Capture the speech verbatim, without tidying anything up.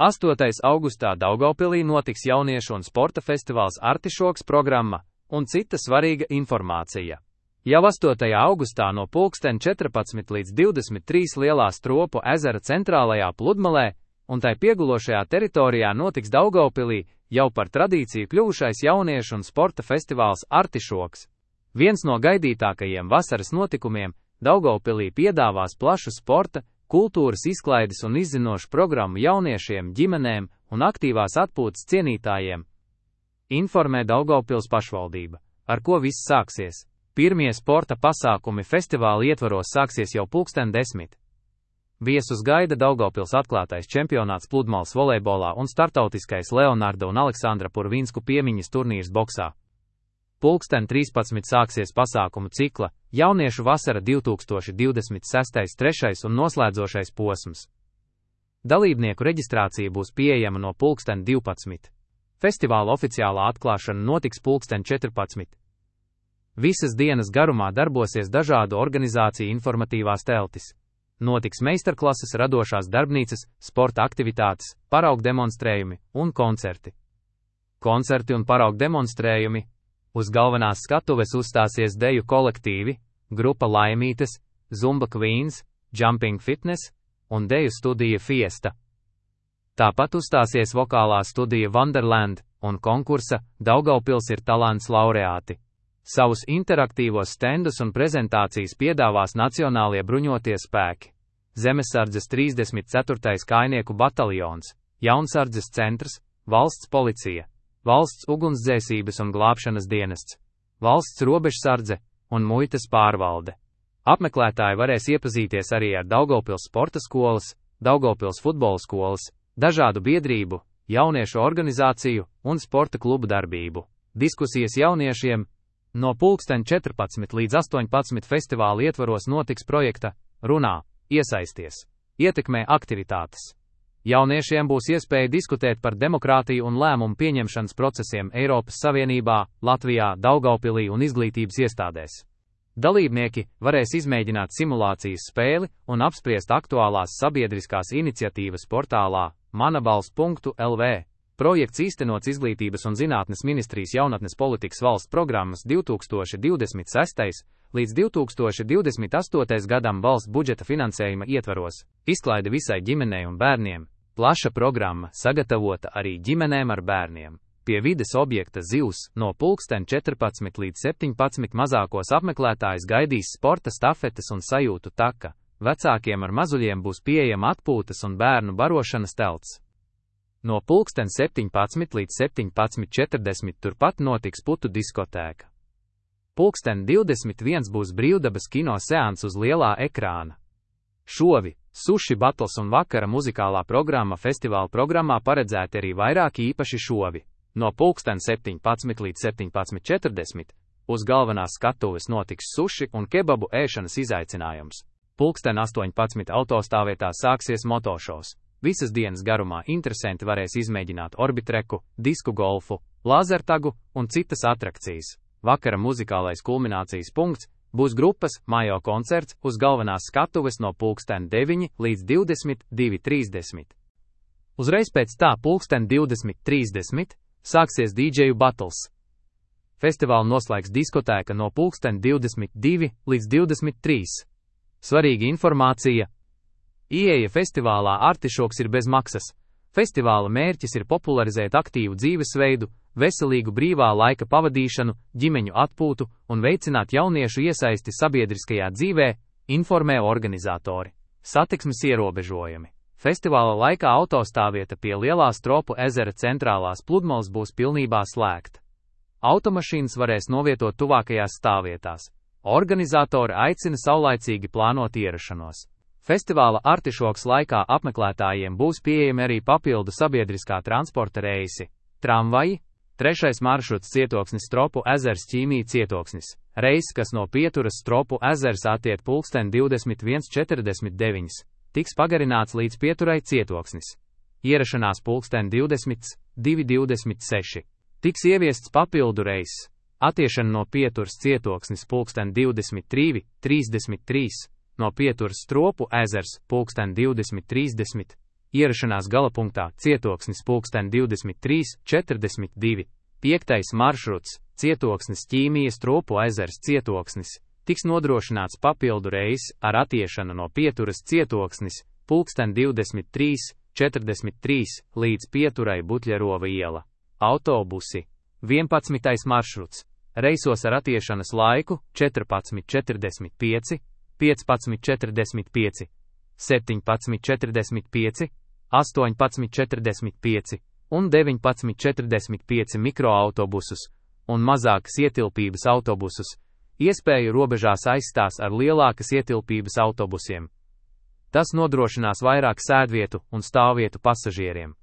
astotajā augustā Daugavpilī notiks jauniešu un sporta festivāls Artišoks programma un cita svarīga informācija. Jau astotajā augustā no pulksten četrpadsmit līdz divdesmit trīs Lielā Stropu ezera centrālajā pludmalē un tai piegulošajā teritorijā notiks Daugavpilī jau par tradīciju kļuvušais jauniešu un sporta festivāls Artišoks. Viens no gaidītākajiem vasaras notikumiem, Daugavpilī piedāvās plašu sporta, kultūras izklaides un izzinošu programmu jauniešiem, ģimenēm un aktīvās atpūtas cienītājiem. Informē Daugavpils pašvaldība, ar ko viss sāksies. Pirmie sporta pasākumi festivāla ietvaros sāksies jau pulksten desmit. Viesus gaida Daugavpils atklātais čempionāts pludmales volejbolā un startautiskais Leonarda un Aleksandra Purvinsku piemiņas turnīrs boksā. Pulksten trīspadsmit sāksies pasākumu cikla Jauniešu vasara divi tūkstoši divdesmit seši trešais un noslēdzošais posms. Dalībnieku reģistrācija būs pieejama no pulksten divpadsmit. Festivāla oficiālā atklāšana notiks pulksten četrpadsmit. Visas dienas garumā darbosies dažādu organizāciju informatīvās teltis. Notiks meistarklases, radošās darbnīcas, sporta aktivitātes, paraugu demonstrējumi un koncerti. Koncerti un paraugu demonstrējumi. Uz galvenās skatuves uzstāsies deju kolektīvi, grupa Laimītes, Zumba Queens, Jumping Fitness un deju studija Fiesta. Tāpat uzstāsies vokālā studija Wonderland un konkursa Daugavpils ir talants laureāti. Savus interaktīvos stendus un prezentācijas piedāvās Nacionālie bruņotie spēki, Zemesardzes trīsdesmit ceturtais kājnieku bataljons, Jaunsardzes centrs, valsts policija, valsts ugunsdzēsības un glābšanas dienests, valsts robežsardze un muitas pārvalde. Apmeklētāji varēs iepazīties arī ar Daugavpils sporta skolas, Daugavpils futbola skolas, dažādu biedrību, jauniešu organizāciju un sporta klubu darbību. Diskusijas jauniešiem. No pulksten četrpadsmit līdz astoņpadsmit festivāla ietvaros notiks projekta Runā, iesaisties, ietekmē aktivitātes. Jauniešiem būs iespēja diskutēt par demokrātiju un lēmumu pieņemšanas procesiem Eiropas Savienībā, Latvijā, Daugavpilī un izglītības iestādēs. Dalībnieki varēs izmēģināt simulācijas spēli un apspriest aktuālās sabiedriskās iniciatīvas portālā manabalss punktu el vē. Projekts īstenots Izglītības un zinātnes ministrijas jaunatnes politikas valsts programmas divi tūkstoši divdesmit sestais līdz divi tūkstoši divdesmit astotais gadam valsts budžeta finansējuma ietvaros, izklaide visai ģimenei un bērniem. Plaša programma sagatavota arī ģimenēm ar bērniem. Pie vides objekta Zivs no pulksten četrpadsmit līdz septiņpadsmit mazākos apmeklētājus gaidīs sporta stafetes un sajūtu taka. Vecākiem ar mazuļiem būs pieejama atpūtas un bērnu barošanas telts. No pulksten septiņpadsmit līdz septiņpadsmit četrdesmit turpat notiks putu diskotēka. Pulksten divdesmit viens būs brīvdabas kino seans uz lielā ekrāna. Šovi, suši battles un vakara muzikālā programma festivāla programmā paredzēti arī vairāki īpaši šovi. No pulksten septiņpadsmit līdz septiņpadsmit četrdesmit uz galvenās skatuves notiks suši un kebabu ēšanas izaicinājums. Pulksten astoņpadsmit autostāvvietā sāksies motošovs. Visas dienas garumā interesanti varēs izmēģināt orbitreku, disku golfu, lāzertagu un citas atrakcijas. Vakara muzikālais kulminācijas punkts būs grupas Majo koncerts uz galvenās skatuves no pulksten deviņi līdz divdesmit divi trīsdesmit. Uzreiz pēc tā pulksten divdesmit trīsdesmit sāksies dīdžeju battles. Festivālu noslēgs diskotēka no pulksten divdesmit divi līdz divdesmit trīs. Svarīga informācija. Ieeja festivālā Artišoks ir bez maksas. Festivāla mērķis ir popularizēt aktīvu dzīvesveidu, veselīgu brīvā laika pavadīšanu, ģimeņu atpūtu un veicināt jauniešu iesaisti sabiedriskajā dzīvē, informē organizatori. Satiksmes ierobežojumi. Festivāla laikā autostāvvieta pie Lielā Stropu ezera centrālās pludmales būs pilnībā slēgta. Automašīnas varēs novietot tuvākajās stāvvietās. Organizatori aicina saulaicīgi plānot ierašanos. Festivāla Artišoks laikā apmeklētājiem būs pieejami arī papildu sabiedriskā transporta reisi, tramvaji, trešais maršruts Cietoksnis Stropu ezers Ķīmī Cietoksnis, reiss, kas no Pieturas Stropu ezers attiek pulksten divdesmit viens četrdesmit deviņi, tiks pagarināts līdz Pieturai Cietoksnis. Ierašanās pulksten divdesmit divi divdesmit seši. Tiks ieviests papildu reiss, attiešana no Pieturas Cietoksnis pulksten divdesmit divi trīsdesmit trīs. No Pieturas Stropu ezers pulksten divdesmit trīsdesmit, Ierašanās galapunktā Cietoksnis pulksten divdesmit trīs četrdesmit divi. Piektais maršruts Cietoksnis Ķīmijas Trupu ezers Cietoksnis. Tiks nodrošināts papildu reiss ar attiešanu no pieturas Cietoksnis pulksten divdesmit trīs četrdesmit trīs līdz pieturai Buļļarova iela. Autobusi. vienpadsmitais maršruts. Reisos ar attiešanas laiku četrpadsmit četrdesmit pieci, piecpadsmit četrdesmit pieci, septiņpadsmit četrdesmit pieci, astoņpadsmit četrdesmit pieci un deviņpadsmit četrdesmit pieci mikroautobusus un mazākas ietilpības autobusus. Iespēju robežās aizstās ar lielākas ietilpības autobusiem. Tas nodrošinās vairāk sēdvietu un stāvvietu pasažieriem.